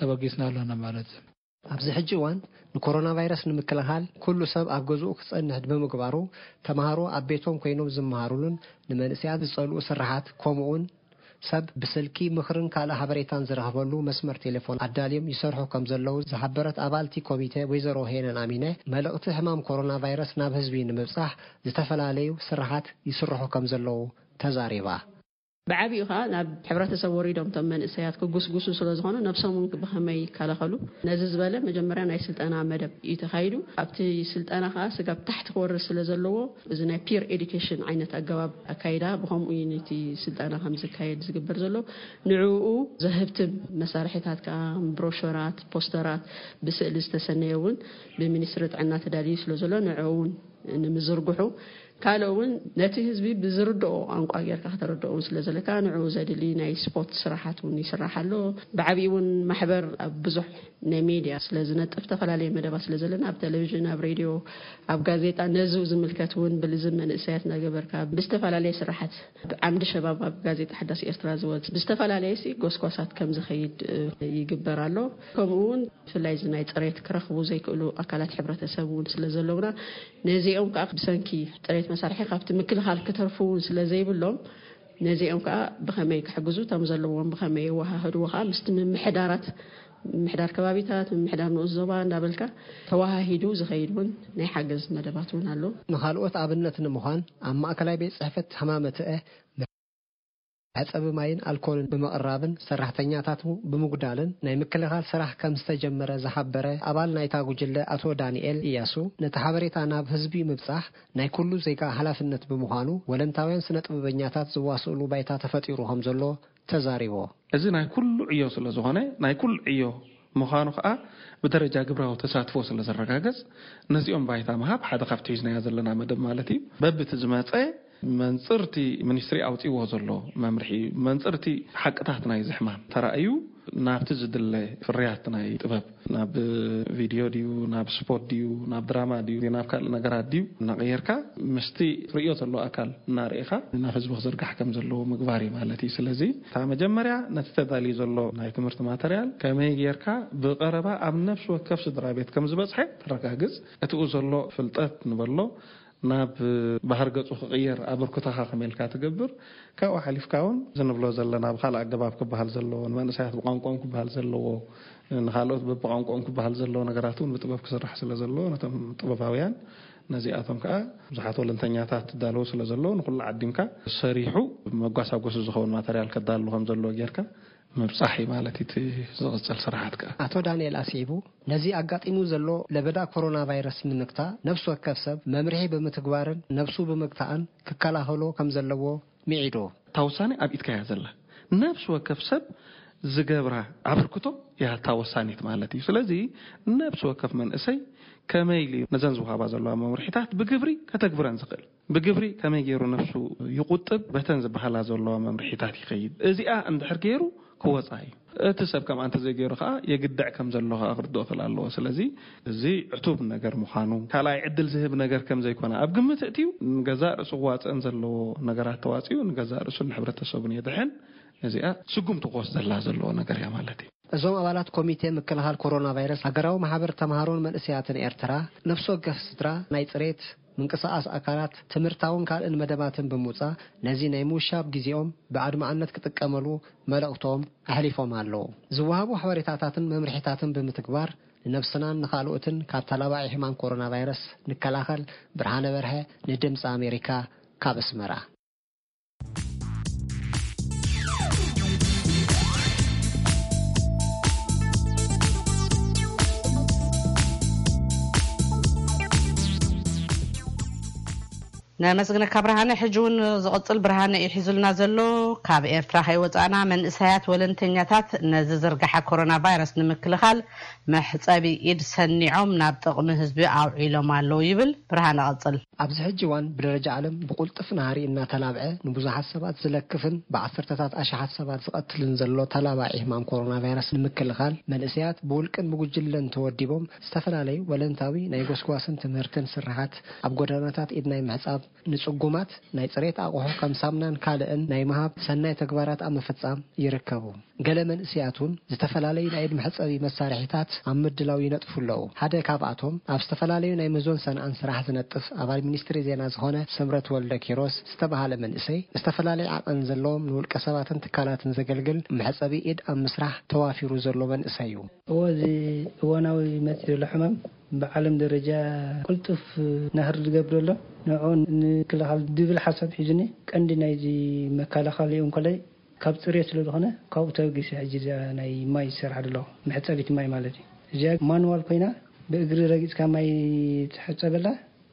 ተበጊስና ኣሎና ማለት እዩ። ኣብዚ ሕጂ እዋን ንኮሮና ቫይረስ ንምክልኻል ኩሉ ሰብ ኣብ ገዝኡ ክጸንሕ ብምግባሩ፣ ተማሃሮ ኣብ ቤቶም ኮይኖም ዝመሃሩሉን ንመንእሰያት ዝጸልኡ ስራሓት፣ ከምኡውን ሰብ ብስልኪ ምኽርን ካልእ ሓበሬታን ዝረኽበሉ መስመር ቴሌፎን ኣዳልዮም ይሰርሑ ከም ዘለዉ ዝሓበረት ኣባልቲ ኮሚቴ ወይዘሮ ሄነን ኣሚነ፣ መልእኽቲ ሕማም ኮሮና ቫይረስ ናብ ህዝቢ ንምብጻሕ ዝተፈላለዩ ስራሓት ይስርሑ ከም ዘለዉ ተዛሪባ። ብዓቢኡ ኸኣ ናብ ሕብረተሰብ ወሪዶም እቶም መንእሰያት ክጉስጉሱ ስለ ዝኾኑ፣ ነብሶም እውን ብኸመይ ይከላኸሉ፣ ነዚ ዝበለ መጀመርያ ናይ ስልጠና መደብ እዩ ተኻይዱ። ኣብቲ ስልጠና ኸኣ ስጋብ ታሕቲ ክወርድ ስለ ዘለዎ፣ እዚ ናይ ፒር ኤዱኬሽን ዓይነት ኣገባብ ኣካይዳ፣ ብኸምኡ እዩ ነቲ ስልጠና ከም ዝካየድ ዝግበር ዘሎ። ንዕኡ ዘህብትም መሳርሒታት ከኣ፣ ብሮሸራት፣ ፖስተራት፣ ብስእሊ ዝተሰነየ እውን ብሚኒስትሪ ጥዕና ተዳልዩ ስለ ዘሎ፣ ንዕኡ እውን ንምዝርግሑ፣ ካልእ እውን ነቲ ህዝቢ ብዝርድኦ ቋንቋ ጌርካ ከተረድኦ እውን ስለ ዘለካ፣ ንዕኡ ዘድሊ ናይ ስፖርት ስራሓት እውን ይስራሕ ኣሎ። ብዓቢኡ እውን ማሕበር ኣብ ብዙሕ ናይ ሜድያ ስለ ዝነጥፍ፣ ዝተፈላለየ መደባት ስለ ዘለና፣ ኣብ ቴሌቪዥን፣ ኣብ ሬድዮ፣ ኣብ ጋዜጣ፣ ነዚ ዝምልከት እውን ብልዝብ መንእሰያት እናገበርካ ብዝተፈላለየ ስራሓት፣ ዓምዲ ሸባብ ኣብ ጋዜጣ ሓዳስ ኤርትራ ዝወጽእ ብዝተፈላለየ ሲ ጎስጓሳት ከም ዝኸይድ፣ እ፣ ይግበር ኣሎ። ከምኡ እውን ብፍላይ እዚ ናይ ጽሬት ክረኽቡ ዘይክእሉ ኣካላት ሕብረተሰብ እውን ስለ ዘለውና፣ ነዚኦም ከዓ ብሰንኪ ጽሬት መሳርሒ ካብቲ ምክልኻል ክተርፉ እውን ስለ ዘይብሎም፣ ነዚኦም ከዓ ብኸመይ ክሕግዙ፣ እቶም ዘለዎም ብኸመይ የወሃህድዎ ከዓ ምስቲ ምምሕዳራት፣ ምምሕዳር ከባቢታት፣ ምምሕዳር ንኡስ ዞባ እንዳበልካ ተወሃሂዱ ዝኸይድ እውን ናይ ሓገዝ መደባት እውን ኣሎ። ንኻልኦት ኣብነት ንምዃን፣ ኣብ ማእከላይ ቤት ጽሕፈት ሃማመተአ መሕጸቢ ማይን ኣልኮልን ብምቕራብን ሰራሕተኛታቱ ብምጉዳልን ናይ ምክልኻል ስራሕ ከም ዝተጀመረ ዝሓበረ ኣባል ናይታ ጉጅለ ኣቶ ዳንኤል እያሱ፣ ነቲ ሓበሬታ ናብ ህዝቢ ምብጻሕ ናይ ኩሉ ዜጋ ሓላፍነት ብምዃኑ፣ ወለንታውያን ስነ ጥበበኛታት ዝዋስእሉ ባይታ ተፈጢሩ ከም ዘሎ ተዛሪቦ። እዚ ናይ ኩሉ ዕዮ ስለ ዝኾነ፣ ናይ ኩሉ ዕዮ ምዃኑ ከኣ ብደረጃ ግብራዊ ተሳትፎ ስለ ዘረጋገጽ፣ ነዚኦም ባይታ ምሃብ ሓደ ካብቲ ሒዝናዮ ዘለና መደብ ማለት እዩ። በብቲ ዝመጸ መንጽርቲ ሚኒስትሪ ኣውጺዎ ዘሎ መምርሒ፣ መንጽርቲ ሓቅታት ናይ ዝሕማም ተራእዩ ናብቲ ዝድለ ፍርያት ናይ ጥበብ፣ ናብ ቪድዮ ድዩ፣ ናብ ስፖርት ድዩ፣ ናብ ድራማ ድዩ፣ ናብ ካልእ ነገራት ድዩ እናቐየርካ ምስቲ ርእዮ ዘሎ ኣካል እናርኢኻ ናብ ህዝቢ ክዝርጋሕ ከም ዘለዎ ምግባር እዩ ማለት እዩ። ስለዚ እታ መጀመርያ ነቲ ተዳልዩ ዘሎ ናይ ትምህርቲ ማተርያል ከመይ ጌርካ ብቐረባ ኣብ ነፍሲ ወከፍ ስድራ ቤት ከም ዝበጽሐ ተረጋግጽ። እቲኡ ዘሎ ፍልጠት ንበሎ ናብ ባህር ገጹ ክቕየር ኣበርክቶኻ ከመይ ኢልካ ትገብር? ካብኡ ሓሊፍካ እውን እዚ ንብሎ ዘለና ብኻልእ ኣገባብ ክበሃል ዘለዎ፣ ንመንእሰያት ብቋንቋኦም ክበሃል ዘለዎ፣ ንኻልኦት በብቋንቋኦም ክበሃል ዘለዎ ነገራት እውን ብጥበብ ክስራሕ ስለ ዘለዎ፣ ነቶም ጥበባውያን ነዚኣቶም ከኣ ብዙሓት ወለንተኛታት ትዳለዉ ስለ ዘለዉ፣ ንኹሉ ዓዲምካ ሰሪሑ መጓሳጎሲ ዝኸውን ማተርያል ከዳሉ ከም ዘለዎ ጌርካ ምብጻሕ እዩ ማለት እዩ እቲ ዝቕጽል ስራሓት ከኣ። ኣቶ ዳንኤል ኣስዒቡ፣ ነዚ ኣጋጢሙ ዘሎ ለበዳ ኮሮና ቫይረስ ንምግታእ፣ ነፍሲ ወከፍ ሰብ መምርሒ ብምትግባርን ነብሱ ብምግታእን ክከላኸሎ ከም ዘለዎ ምዒዱ። እታ ውሳኔ ኣብ ኢድካ እያ ዘላ። ነፍሲ ወከፍ ሰብ ዝገብራ ኣበርክቶ እያ እታ ወሳኒት ማለት እዩ። ስለዚ ነፍሲ ወከፍ መንእሰይ ከመይ ኢሉ ነዘን ዝወሃባ ዘለዋ መምርሒታት ብግብሪ ከተግብረን ዝኽእል? ብግብሪ ከመይ ገይሩ ነፍሱ ይቑጥብ? በተን ዝበሃላ ዘለዋ መምርሒታት ይኸይድ። እዚኣ እንድሕር ገይሩ ክወጻ እዩ። እቲ ሰብ ከምኣ እንተዘይገይሩ ከኣ የግድዕ ከም ዘሎ ከኣ ክርድኦ ክእል ኣለዎ። ስለዚ እዚ ዕቱብ ነገር ምዃኑ፣ ካልኣይ ዕድል ዝህብ ነገር ከም ዘይኮነ ኣብ ግምት እእትዩ፣ ንገዛእ ርእሱ ክዋጽእን ዘለዎ ነገራት ተዋጺኡ፣ ንገዛእ ርእሱን ንሕብረተሰቡን የድሕን። እዚኣ ስጉምቲ ክወስደላ ዘለዎ ነገር እያ ማለት እዩ። እዞም ኣባላት ኮሚቴ ምክልኻል ኮሮና ቫይረስ ሃገራዊ ማሕበር ተምሃሮን መንእሰያትን ኤርትራ፣ ነፍሲ ወከፍ ስድራ ናይ ጽሬት ምንቅስቓስ ኣካላት፣ ትምህርታውን ካልእን መደባትን ብምውጻእ፣ ነዚ ናይ ምውሻብ ግዜኦም ብኣድማዕነት ክጥቀመሉ መልእኽቶም ኣሕሊፎም ኣለዉ። ዝወሃቡ ሓበሬታታትን መምርሒታትን ብምትግባር፣ ንነብስናን ንኻልኦትን ካብ ተላባዒ ሕማም ኮሮና ቫይረስ ንከላኸል። ብርሃነ በርሀ፣ ንድምፂ ኣሜሪካ፣ ካብ ኣስመራ። ነመስግነካ ብርሃነ። ሕጂ እውን ዝቕጽል ብርሃነ እዩ ሒዙልና ዘሎ። ካብ ኤርትራ ከይወጻእና፣ መንእሰያት ወለንተኛታት ነዚ ዝርግሐ ኮሮና ቫይረስ ንምክልኻል መሕጸቢ ኢድ ሰኒዖም ናብ ጥቕሚ ህዝቢ ኣውዒሎም ኣለዉ ይብል። ብርሃነ፣ ቀጽል። ኣብዚ ሕጂ እዋን ብደረጃ ዓለም ብቕልጡፍ ናህሪ እናተላብዐ፣ ንብዙሓት ሰባት ዝለክፍን ብዓሰርተታት ኣሽሓት ሰባት ዝቐትልን ዘሎ ተላባዒ ሕማም ኮሮና ቫይረስ ንምክልኻል፣ መንእሰያት ብውልቅን ብጉጅለን ተወዲቦም ዝተፈላለዩ ወለንታዊ ናይ ጎስጓስን ትምህርትን ስርሓት ኣብ ጎደናታት ኢድ ናይ ምሕጻብ፣ ንጽጉማት ናይ ጽሬት ኣቑሑ ከም ሳምናን ካልእን ናይ ምሃብ ሰናይ ተግባራት ኣብ ምፍጻም ይርከቡ። ገለ መንእሰያት እውን ዝተፈላለዩ ናይ ኢድ መሕጸቢ መሳርሒታት ኣብ ምድላው ይነጥፉ ኣለዉ። ሓደ ካብኣቶም ኣብ ዝተፈላለዩ ናይ ምህዞን ሰንዓን ስራሕ ዝነጥፍ ኣባል ሚኒስትሪ ዜና ዝኾነ ስምረት ወልደ ኪሮስ ዝተባህለ መንእሰይ፣ ዝተፈላለዩ ዓቐን ዘለዎም ንውልቀ ሰባትን ትካላትን ዘገልግል መሕጸቢ ኢድ ኣብ ምስራሕ ተዋፊሩ ዘሎ መንእሰይ እዩ። እዎ፣ እዚ እዋናዊ መፂ ዘሎ ሕማም ብዓለም ደረጃ ቅልጡፍ ናህሪ ዝገብር ዘሎ፣ ንዕኡ ንምክልኻል ዝብል ሓሳብ ሒዙኒ። ቀንዲ ናይዚ መከላኸሊኡ እንኮላይ ካብ ፅሬት ስለ ዝኾነ፣ ካብኡ ተበጊሰ ሕጂ እዚኣ ናይ ማይ ዝሰርሓ ዘለኹ፣ መሕፀቢት ማይ ማለት እዩ። እዚኣ ማኑዋል ኮይና፣ ብእግሪ ረጊፅካ ማይ ትሕፀበላ፣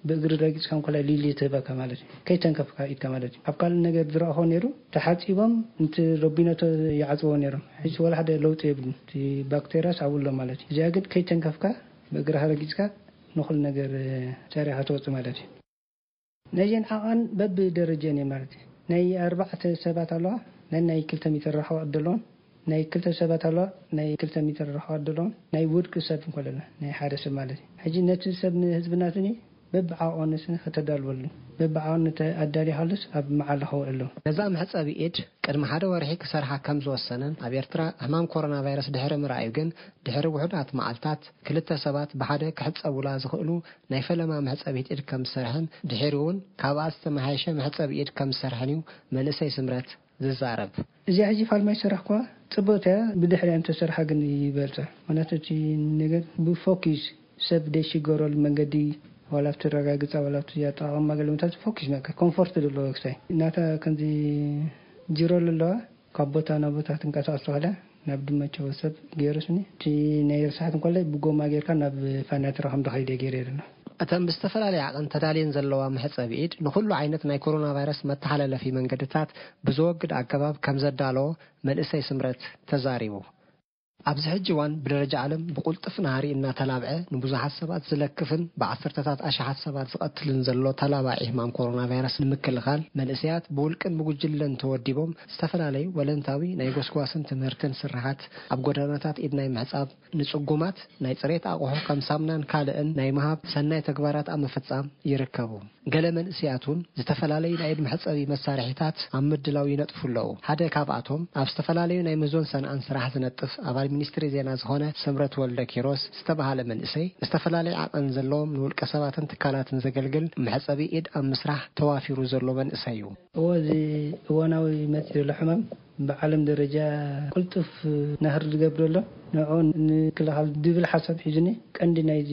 ብእግሪ ረጊፅካ እንኮላይ ሊሊ ትህበካ ማለት እዩ። ከይተንከፍካ ኢድካ ማለት እዩ። ኣብ ካልእ ነገር ዝረኣኹ ነይሩ፣ ተሓፂቦም፣ ነቲ ሮቢኖቶ ይዓፅዎ ነይሮም። ሕጂ ወላ ሓደ ለውጢ የብሉን። እቲ ባክቴርያስ ኣብኡ ኣሎ ማለት እዩ። እዚኣ ግን ከይተንከፍካ፣ ብእግርኻ ረጊፅካ፣ ንኹሉ ነገር፣ እ፣ ሰሪኻ ትወፅእ ማለት እዩ። ነዚአን ዓቐን በብደረጀን እየ ማለት እዩ። ናይ ኣርባዕተ ሰባት ኣለዋ፣ ናይ፣ ናይ ክልተ ሜትር ርሕቐት ዘለዎን፣ ናይ ክልተ ሰባት ኣለዋ፣ ናይ ክልተ ሜትር ርሕቐት ዘለዎን፣ ናይ ውድቂ ሰብ እንኮለና፣ ናይ ሓደ ሰብ ማለት እዩ። ሕጂ ነቲ ሰብ ንህዝቢ ናትኒ በብዓቐኑ ስኒ ከተዳልወሉ፣ በብዓቐኑ ተ-፣ ኣዳሊኻሉስ ኣብ መዓላ ከውዕሉ። ነዛ መሕጸቢ ኢድ ቅድሚ ሓደ ወርሒ ክሰርሓ ከም ዝወሰነን፣ ኣብ ኤርትራ ሕማም ኮሮና ቫይረስ ድሕሪ ምርኣዩ ግን፣ ድሕሪ ውሑዳት መዓልታት ክልተ ሰባት ብሓደ ክሕጸቡላ ዝኽእሉ ናይ ፈለማ መሕጸቢት ኢድ ከም ዝሰርሐን፣ ድሒሩ እውን ካብኣ ዝተመሓየሸ መሕጸቢ ኢድ ከም ዝሰርሐን እዩ መንእሰይ ስምረት ዝዛረብ። እዚኣ ሕጂ ፋልማይ ሰራሕኳ ጽብቕቲ እያ፣ ብድሕሪኣ እንተሰርሓ ግን ይበልጻ። ምኽንያቱ እቲ ነገር ብፎኪስ ሰብ ደይሽገረሉ መንገዲ፣ ዋላ ኣብቲ ረጋግጻ፣ ዋላ ኣብቲ ኣጠቓቕማ ገለመታት ፎኪስ፣ በቃ ኮምፎርት ዘለዎ ክሳይ ናታ ከምዚ ጅሮ ኣለዋ። ካብ ቦታ ናብ ቦታ ትንቀሳቐስ ተኽእላ ናብ ድመቸው ሰብ ገይሩስኒ። እቲ ናይ ርሳሓት እንኮላይ ብጎማ ጌርካ ናብ ፋናትራ ከም ደኸይደ ገይረ ኣለና። እተን ብዝተፈላለየ ዓቐን ተዳልየን ዘለዋ መሕጸቢ ኢድ ንኹሉ ዓይነት ናይ ኮሮና ቫይረስ መተሓላለፊ መንገድታት ብዘወግድ ኣገባብ ከም ዘዳለዎ መንእሰይ ስምረት ተዛሪቡ። ኣብዚ ሕጂ እዋን ብደረጃ ዓለም ብቁልጥፍ ናህሪ እናተላብዐ ንብዙሓት ሰባት ዝለክፍን ብዓሰርተታት ኣሽሓት ሰባት ዝቐትልን ዘሎ ተላባዒ ሕማም ኮሮና ቫይረስ ንምክልኻል መንእሰያት ብውልቅን ብጉጅለን ተወዲቦም ዝተፈላለዩ ወለንታዊ ናይ ጎስጓስን ትምህርትን ስርሓት ኣብ ጎደናታት ኢድ ናይ ምሕጻብ ንጽጉማት ናይ ጽሬት ኣቑሑ ከም ሳምናን ካልእን ናይ ምሃብ ሰናይ ተግባራት ኣብ ምፍጻም ይርከቡ። ገለ መንእሰያት እውን ዝተፈላለዩ ናይ ኢድ መሕጸቢ መሳርሒታት ኣብ ምድላው ይነጥፉ ኣለዉ። ሓደ ካብኣቶም ኣብ ዝተፈላለዩ ናይ ምህዞን ሰንዓን ስራሕ ዝነጥፍ ኣባል ሚኒስትሪ ዜና ዝኾነ ስምረት ወልደ ኪሮስ ዝተባህለ መንእሰይ፣ ዝተፈላለዩ ዓቐን ዘለዎም ንውልቀ ሰባትን ትካላትን ዘገልግል መሕጸቢ ኢድ ኣብ ምስራሕ ተዋፊሩ ዘሎ መንእሰይ እዩ። እዎ፣ እዚ እዋናዊ መፂ ዘሎ ሕማም ብዓለም ደረጃ ቅልጡፍ ናህሪ ዝገብር ዘሎ ንዕኡ ንምክልኻል ዝብል ሓሳብ ሒዙኒ። ቀንዲ ናይዚ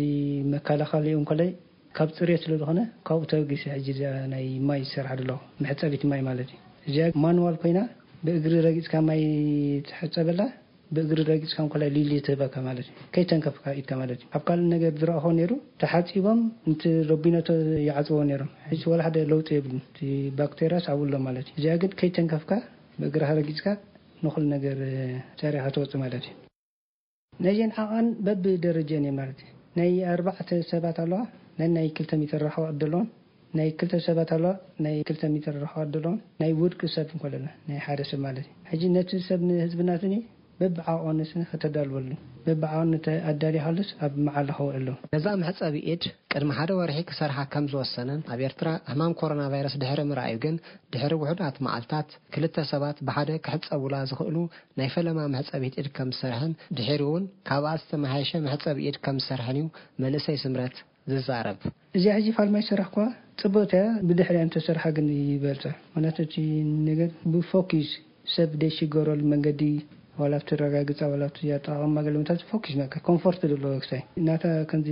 መከላኸሊኡ እንኮላይ ካብ ጽሬት ስለ ዝኾነ ካብኡ ተበጊሰ ሕጂ እዚኣ ናይ ማይ ዝሰርሓ ዘለኹ መሕጸቢት ማይ ማለት እዩ። እዚኣ ማንዋል ኮይና ብእግሪ ረጊጽካ ማይ ትሕጸበላ። ብእግሪ ረጊጽካ እንኮላይ ሊሊ ትህበካ ማለት እዩ። ከይተንከፍካ ኢድካ ማለት እዩ። ኣብ ካልእ ነገር ዝረኣኾ ነይሩ፣ ተሓጺቦም፣ እንት ረቢኖቶ ይዓጽዎ ነይሮም። ሕጂ ወላ ሓደ ለውጢ የብሉን። እቲ ባክቴርያስ ኣብኡ ኣሎ ማለት እዩ። እዚኣ ግን ከይተንከፍካ ብእግርኻ ረጊጽካ ንኹሉ ነገር ጸሪኻ ትወጽእ ማለት እዩ። ነዚን ዓቐን በብደረጀን እየ ማለት እዩ። ናይ ኣርባዕተ ሰባት ኣለዋ፣ ናይ ናይ ክልተ ሚተር ራሕዋ ኣለዎም። ናይ ክልተ ሰባት ኣለዋ፣ ናይ ክልተ ሚተር ራሕዋ ኣለዎም። ናይ ውድቂ ሰብ እንኮለና ናይ ሓደ ሰብ ማለት እዩ። ሕጂ ነቲ ሰብ ንህዝቢ ናትኒ በብዓቐኑ ስኒ ከተዳልወሉ፣ በብዓቐኑ ኣዳሊኻሉስ ኣብ መዓላ ከውዕሉ። ነዛ መሕጸቢ ኢድ ቅድሚ ሓደ ወርሒ ክሰርሓ ከም ዝወሰነን ኣብ ኤርትራ ሕማም ኮሮና ቫይረስ ድሕሪ ምርኣዩ ግን ድሕሪ ውሑዳት መዓልታት ክልተ ሰባት ብሓደ ክሕጸቡላ ዝኽእሉ ናይ ፈለማ መሕጸቢት ኢድ ከም ዝሰርሐን ድሒሩ እውን ካብኣ ዝተመሓየሸ መሕጸቢ ኢድ ከም ዝሰርሐን እዩ መንእሰይ ስምረት ዝዛረብ። እዚኣ ሕጂ ፋልማይ ስራሕ እኳ ጽብቕቲ እያ፣ ብድሕሪኣ እንተሰርሓ ግን ይበልጻ። ምክንያቱ እቲ ነገር ብፎኪስ ሰብ ደይሽገረሉ መንገዲ ዋላ ኣብቲ ረጋግጻ ዋላ ኣብቲ ኣጠቓቕማ ገለ ምታት ፎኪስ ነካ ኮምፎርት ዘለዎ ክሳይ ናታ ከምዚ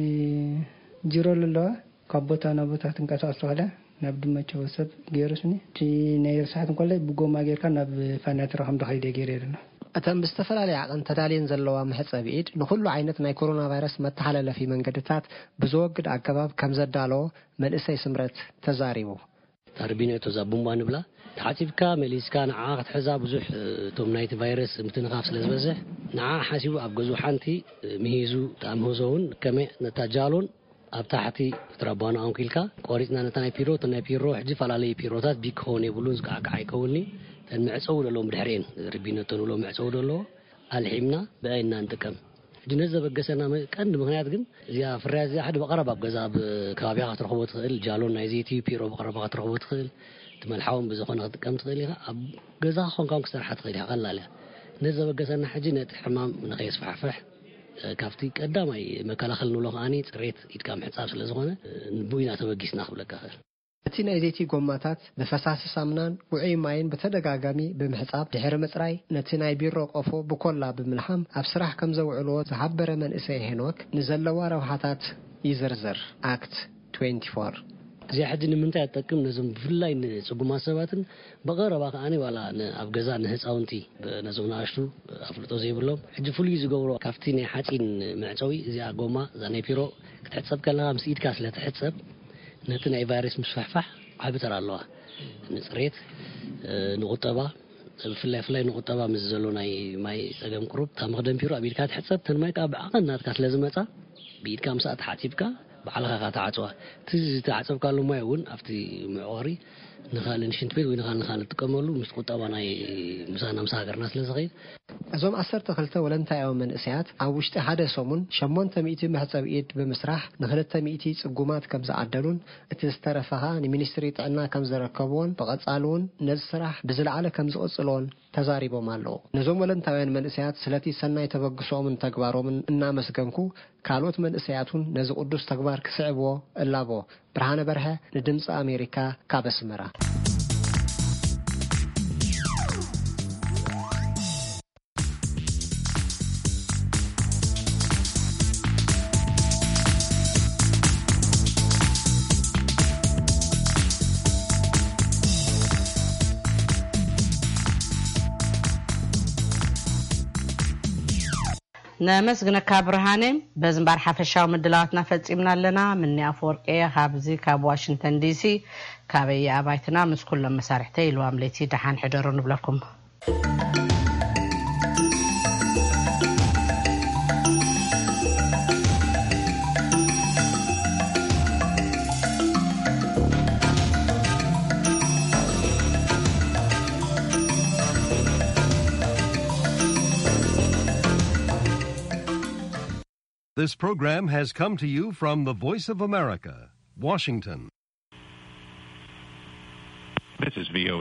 ጅሮ ኣለዋ። ካብ ቦታ ናብ ቦታ ትንቀሳቐስ ተኽእላ ናብ ድመቸው ሰብ ገይሩስኒ። እቲ ናይ ርሳሓት እንኮላይ ብጎማ ጌርካ ናብ ፋናትራ ከም ደኸይደ ገይረ ኣለና። እተን ብዝተፈላለየ ዓቐን ተዳልየን ዘለዋ መሕጸቢ ኢድ ንኹሉ ዓይነት ናይ ኮሮና ቫይረስ መተሓላለፊ መንገድታት ብዘወግድ ኣገባብ ከም ዘዳለዎ መንእሰይ ስምረት ተዛሪቡ። ታርቢኔቶ እዛ ቡምባ ንብላ ተሓጺብካ መሊስካ ንዓ ክትሕዛ ብዙሕ፣ እቶም ናይቲ ቫይረስ ምትንኻፍ ስለ ዝበዝሕ ንዓ ሓሲቡ ኣብ ገዝኡ ሓንቲ ምሂዙ ተኣምህዞ እውን ከመይ ነታ ጃሎን ኣብ ታሕቲ ትረባኑ ኣንኪልካ ቆሪጽና ነታ ናይ ፒሮ፣ እተን ናይ ፒሮ ሕጂፈላለዩ ፒሮታት ቢግ ክኸውን የብሉን፣ ዝከዓካዓ ይከውንኒ። እተን መዕጸዊ ዘለዎም ብድሕሪኤን ርቢነቶ ንብሎ መዕጸዊ ዘለዎ ኣልሒምና ብኣይ እና ንጥቀም። ሕጂ ነዚ ዘበገሰና መ-፣ ቀንዲ ምኽንያት ግን እዚኣ ፍርያት እዚኣ ሓደ ብቐረባ ኣብ ገዛ ኣብ ከባቢኻ ክትረኽቦ ትኽእል፣ ጃሎን ናይ ዘይቲ ፒሮ ብቐረባ ክትረኽቦ ትኽእል፣ ትመልሓውን ብዝኾነ ክትጥቀም ትኽእል ኢኻ። ኣብ ገዛኻ ኮንካ እውን ክትሰርሓ ትኽእል ኢኻ፣ ቀላል እያ። ነዚ ዘበገሰና ሕጂ ነቲ ሕማም ንኸየስፋሕፍሕ ካብቲ ቀዳማይ መከላኸሊ ንብሎ ከዓኒ ጽሬት ኢድካ ምሕጻብ ስለ ዝኾነ፣ ንብኡ ኢና ተበጊስና ክብለካ እኽእል። እቲ ናይ ዘይቲ ጎማታት ብፈሳሲ ሳምናን ውዑይ ማይን ብተደጋጋሚ ብምሕጻብ ድሕሪ ምጽራይ ነቲ ናይ ቢሮ ቆፎ ብኮላ ብምልሓም ኣብ ስራሕ ከም ዘውዕልዎ ዝሓበረ መንእሰይ ሄኖክ ንዘለዋ ረብሓታት ይዝርዝር። ኣክት ትዌንቲ ፎር። እዚኣ ሕጂ ንምንታይ እትጠቅም? ነዞም ብፍላይ ንጽጉማት ሰባትን ብቐረባ ከዓኒ ዋላ ን-፣ ኣብ ገዛ ንህፃውንቲ ብ-፣ ነዞም ንኣሽቱ ኣፍልጦ ዘይብሎም ሕጂ ፍሉይ ዝገብሮ ካብቲ ናይ ሓፂን መዕፀዊ እዚኣ ጎማ እዛ ናይ ፒሮ ክትሕፀብ ከለኻ ምስ ኢድካ ስለ ትሕፀብ ነቲ ናይ ቫይረስ ምስፋሕፋሕ ዓቢ ተራ ኣለዋ። ንፅሬት፣ እ፣ ንቁጠባ፣ ብፍላይ ፍላይ ንቁጠባ ምስ ዘሎ ናይ ማይ ፀገም ቁሩብ እታ መኽደን ፒሮ ኣብ ኢድካ ትሕፀብ፣ ተን ማይ ከዓ ብዓቐን ናትካ ስለ ዝመፃ ብኢድካ ምስኣ ተሓፂብካ ባዕልኻ ኢኻ ትዓፅዋ። እቲ ዝተዓፀብካሉ ማይ እውን ኣብቲ መዕቆሪ ንኻልእ ንሽንት ቤት ወይ ንኻልእ ንኻልእ ትጥቀመሉ ምስ ቁጠባ ናይ ምሳና ምስ ሃገርና ስለ ዝኸይድ። እዞም ዓሰርተ ክልተ ወለንታያዊ መንእሰያት ኣብ ውሽጢ ሓደ ሰሙን ሸሞንተ ሚእቲ መሕጸቢ ኢድ ብምስራሕ ንክልተ ሚእቲ ጽጉማት ከም ዝዓደሉን እቲ ዝተረፈ ኸኣ ንሚኒስትሪ ጥዕና ከም ዘረከብዎን ብቐጻሊ እውን ነዚ ስራሕ ብዝለዓለ ከም ዝቕጽልዎን ተዛሪቦም ኣለዉ። ነዞም ወለንታውያን መንእሰያት ስለቲ ሰናይ ተበግሶኦምን ተግባሮምን እናመስገንኩ ካልኦት መንእሰያት እውን ነዚ ቅዱስ ተግባር ክስዕብዎ እላቦ። ብርሃነ በርሀ ንድምፂ ኣሜሪካ ካብ ኣስመራ። ነመስግነካ ብርሃነ። በዚ እምበኣር ሓፈሻዊ ምድላዋትና ፈጺምና ኣለና። ምኒ ኣፈወርቂ እየ፣ ካብዚ ካብ ዋሽንግተን ዲሲ፣ ካበይ ኣባይትና ምስ ኩሎም መሳርሕተይ ኢልዋም ለይቲ ደሓን ሕደሩ ንብለኩም። This program has come to you from the Voice of America, Washington. This is V O A